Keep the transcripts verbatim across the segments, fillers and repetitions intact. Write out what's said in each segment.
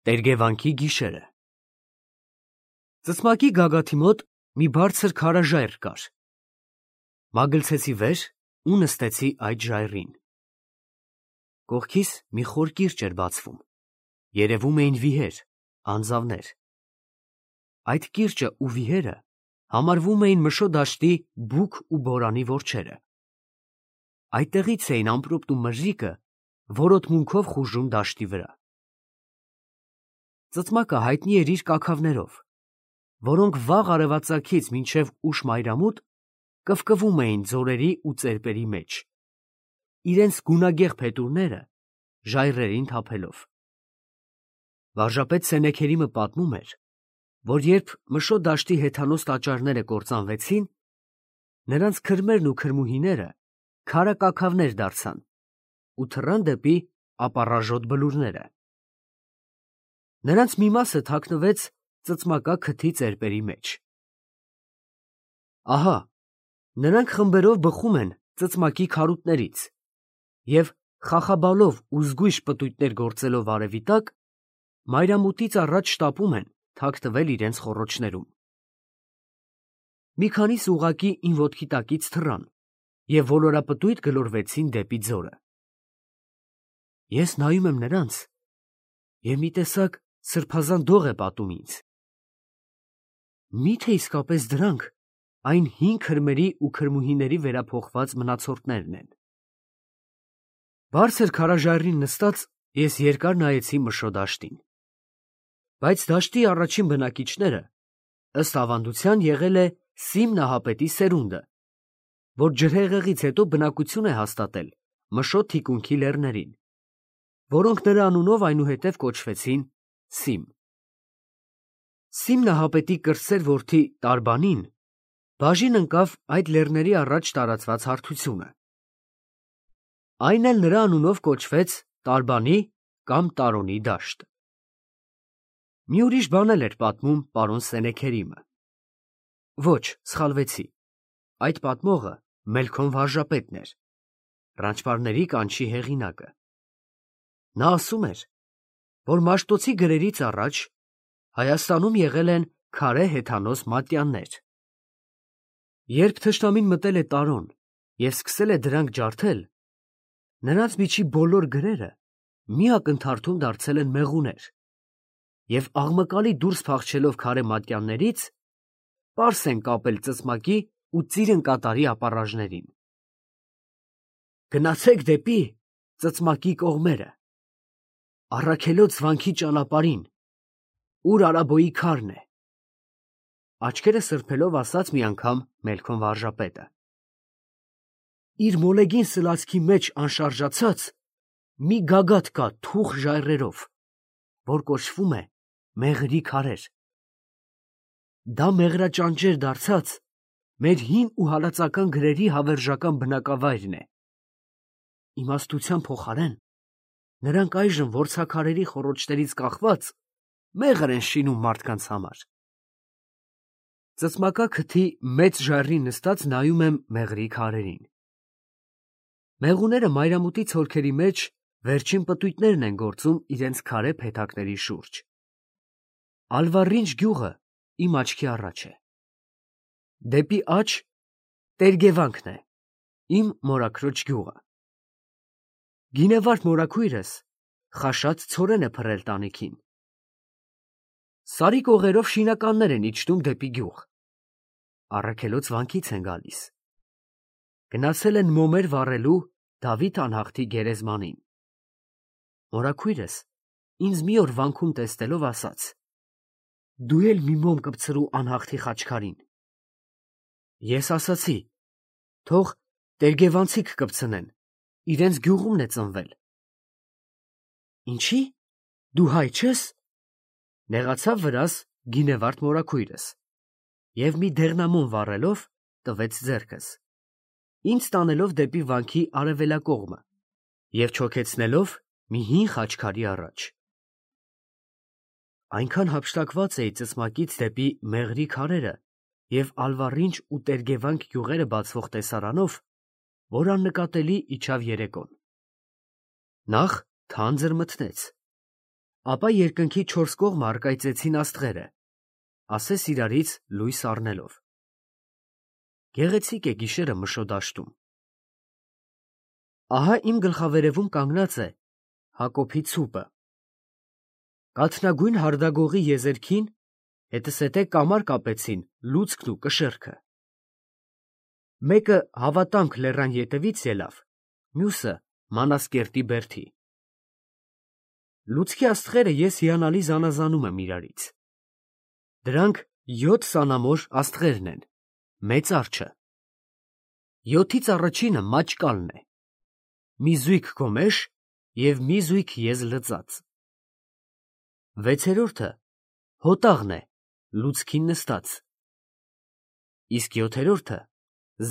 Տերգևանքի գիշերը։ Ծծմակի գագաթի մոտ մի բարձր քարաժայռ կար։ Մագլցեցի վեր ու նստեցի այդ ժայռին։ Կողքիս մի խոր կիրճ էր բացվում, երևում էին վիհեր, անձավներ։ Այդ կիրճը ու վիհերը համարվում էին Մշո դաշտի բուք ու բորանի որջերը։ Այդտեղից էին ամպրոպն ու մրրիկը որոտմունքով խուժում դաշտի վրա։ Ծծմակը հայտնի էր իր կաքավներով, որոնք վաղ արևածագից մինչև ուշ մայրամուտ կվկվում էին ձորերի ու ծերպերի մեջ, իրենց գունագեղ փետուրները ժայռերին թափելով։ Վարժապետ Սենեքերիմը պատմում էր, որ երբ Մշո դաշտի հեթանոս տաճարները կործանվեցին, նրանց քրմերն ու քրմուհիները քարակաքավներ դարձան ու թռան դեպի ապառաժոտ բլուրները։ Նրանց մի մասը թաքնվեց ծծմակա քթի ծերպերի մեջ։ Ահա, նրանք խմբերով բխում են ծծմակի քարուտներից և խախաբալով ու զգույշ պտույտներ գործելով արևի տակ, մայրամուտից առաջ շտապում են թաքնվել իրենց խոռոչներում։ Մի քանիսը ուղղակի իմ ոտքի տակից թռան և ոլորապտույտ գլորվեցին դեպի ձորը։ Ես նայում եմ նրանց, և մի տեսակ սրբազան դող է պատում ինձ։ Մի՞թե իսկապես դրանք այն հին քրմերի ու քրմուհիների վերափոխված մնացորդներն են։ Բարձր քարաժայռին նստած ես երկար նայեցի Մշո դաշտին։ Բայց դաշտի առաջին բնակիչները, ըստ ավանդության, եղել է Սիմ Նահապետի սերունդը, որ ջրհեղեղից հետո բնակություն է հաստատել Մշո թիկունքի լեռներին, որոնք նրա անունով այնուհետև կոչվեցին Սիմ։ Սիմ Նահապետի կրտսեր որդի Տարբանին բաժին ընկավ այդ լեռների առաջ տարածված հարթությունը։ Այն էլ նրա անունով կոչվեց Տարբանի կամ Տարոնի դաշտ։ Մի ուրիշ բան էլ էր պատմում պարոն Սենեքերիմը։ Ոչ, սխալվեցի, այդ պատմողը Մելքոն վարժապետն էր, Ռանչպարների կանչի հեղինակը։ Նա ասում էր, որ Մաշտոցի գրերից առաջ Հայաստանում եղել են քարե հեթանոս մատյաններ։ Երբ թշնամին մտել է Տարոն և սկսել է դրանք ջարդել, նրանց միջի բոլոր գրերը մի ակնթարթում դարձել են մեղուներ, և աղմկալի դուրս փախչելով քարե մատյաններից, պարս են կապել ծծմակի ու ծիրան կատարի ապառաժներին։ Գնացեք դեպի ծծմակի կողմերը, Առաքելոց վանքի ճանապարհին, ուր Արաբոյի քարն է, աչքերը սրբելով ասաց մի անգամ Մելքոն վարժապետը։ Իր մոլեգին սլացքի մեջ անշարժացած մի գագաթ կա թուխ ժայռերով, որ կոչվում է Մեղրի քարեր։ Դա մեղրաճանճեր դարձած մեր հին ու հալածական գրերի հավերժական բնակավայրն է։ Իմաստության փոխարեն նրանք այժմ որցաքարերի խոռոչներից կախված մեղր են շինում մարդկանց համար։ Ծծմակա քթի մեծ ժայռին նստած նայում եմ մեղրի քարերին։ Մեղուները մայրամուտի ցորքերի մեջ վերջին պտույտներն են գործում իրենց քարե փեթակների շուրջ։ Ալվառինչ գյուղը իմ աչքի առաջ է։ Դեպի աջ Տերգևանքն է, իմ մորաքրոջ գյուղը։ Գինևարդ մորաքույրս խաշած ցորեն է փռել տանիքին։ Սարի կողերով շինականներ են իջնում դեպի գյուղ։ Առաքելոց վանքից են գալիս։ Գնացել են մոմեր վառելու Դավիթ անհախտի գերեզմանին։ Մորաքույրս ինձ մի օր վանքում տեսնելով ասաց. «Դու էլ մի մոմ կպցրու անհախտի խաչքարին»։ Ես ասացի. «Թող տերգևանցիք կպցնեն, իրենց գյուղումն է ծնվել»։ Ինչի՞, դու հայ չես, նեղացավ վրաս գինևարդ մորաքույրս և մի դեղնամոմ վառելով տվեց ձեռքս, ինձ տանելով դեպի վանքի արևելակողմը և չոքեցնելով մի հին խաչքարի առաջ։ Այնքան հափշտակված էի ծծմակից դեպի Մեղրի քարերը և Ալվառինչ ու Տերգևանք գյուղերը բացվող տեսարանով, որ աննկատելի իջավ երեկոն։ Նախ թանձր մթնեց, Ապա երկնքի չորս կողմը առկայծեցին աստղերը, ասես իրարից լույս առնելով։ Գեղեցիկ է գիշերը Մշոդաշտում։ Ահա իմ գլխավերևում կանգնած է Հակոբի ցուպը։ Կաթնագույն հարդագողի եզերքին հետսետե կամար կապեցին լուցկն ու կշեռքը։ Մեկը Հավատամք լեռան ետևից ելավ, մյուսը Մանասկերտի բերդի։ Լուցկի աստղերը ես հիանալի զանազանում եմ իրարից։ Դրանք յոթ սանամոր աստղերն են, մեծ արջը։ Յոթից առաջինը մաճկալն է, մի զույգ գոմեշ և մի զույգ եզ լծած։ Վեցերորդը հոտաղն է, լուցկին նստած։ Իսկ յոթերորդը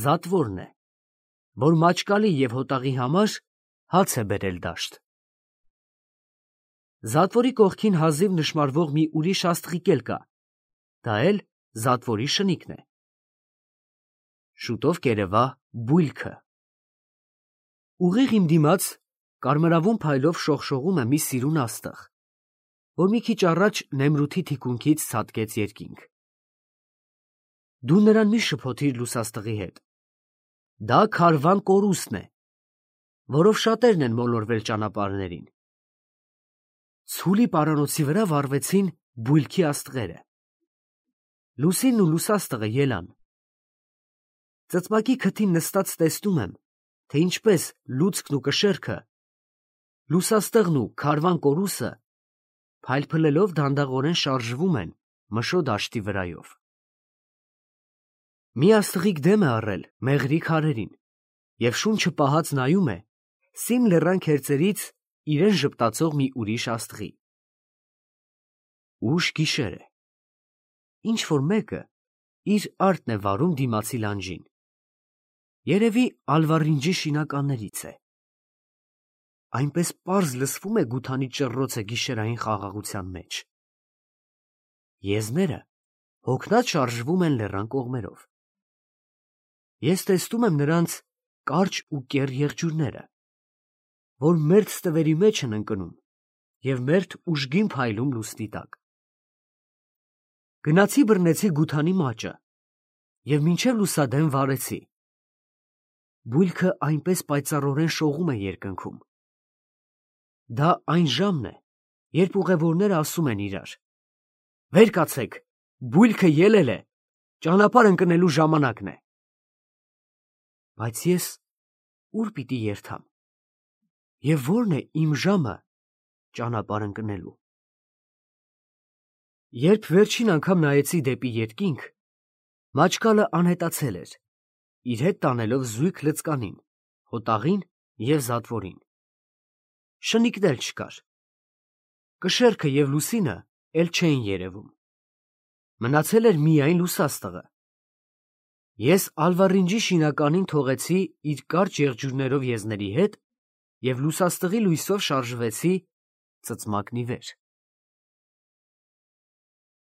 զատվորն է, որ մաճկալի և հոտաղի համար հաց է բերել դաշտ։ Զատվորի կողքին հազիվ նշմարվող մի ուրիշ աստղիկ էլ կա, դա էլ զատվորի շնիկն է։ Շուտով կերևա բույլքը։ Ուղիղ իմ դիմաց կարմրավուն փայլով շողշողում է մի սիրուն աստղ, որ մի քիչ առաջ Նեմրութի թիկունքից ցատկեց երկինք։ Դու նրան մի շփոթիր լուսաստղի հետ։ Դա քարվան կորուստն է, որով շատերն են մոլորվել ճանապարհներին։ Ցուլի պարանոցի վրա վառվեցին բույլքի աստղերը։ Լուսինն ու լուսաստղը ելան։ Ծծմակի քթին նստած տեսնում եմ, թե ինչպես լուցկն ու կշեռքը, լուսաստղն ու քարվան կորուսը փայլփլելով դանդաղորեն շարժվում են Մշոդաշտի վրայով։ Մի աստղիկ դեմ է առել մեղրի քարերին և շունչը պահած նայում է Սիմ լեռան քերծերից իրեն ժպտացող մի ուրիշ աստղի։ Ուշ գիշեր է։ Ինչ-որ մեկը իր արտն է վարում դիմացի լանջին։ Երևի Ալվարինջի շինականներից է։ Այնպես պարզ լսվում է գութանի ճռռոցը գիշերային խաղաղության մեջ։ Եզները հոգնած շարժվում են լեռան կողմերով։ Ես տեսնում եմ նրանց կարճ ու կեռ եղջյուրները, որ մերթ ստվերի մեջ են ընկնում և մերթ ուժգին փայլում լուսնի տակ։ Գնացի բռնեցի գութանի մաճը և մինչև լուսադեմ վարեցի։ Բույլքը այնպես պայծառորեն շողում է երկնքում։ Դա այն ժամն է, երբ ուղևորները ասում են իրար. «Վեր կացեք, բույլքը ելել է, ճանապարհ ընկնելու ժամանակն է»։ Բայց ես ուր պիտի երթամ, և ո՞րն է իմ ժամը ճանապարհ ընկնելու։ Երբ վերջին անգամ նայեցի դեպի երկինք, մաճկալը անհետացել էր, իր հետ տանելով զույգ լծկանին, հոտաղին և զատվորին։ Շնիկն էլ չկար։ Կշեռքը և լուսինը էլ չէին երևում։ Մնացել էր միայն լուսաստղը։ Ես Ալվարինջի շինականին թողեցի իր կարճ եղջյուրներով եզների հետ և լուսաստղի լույսով շարժվեցի ծծմակն ի վեր։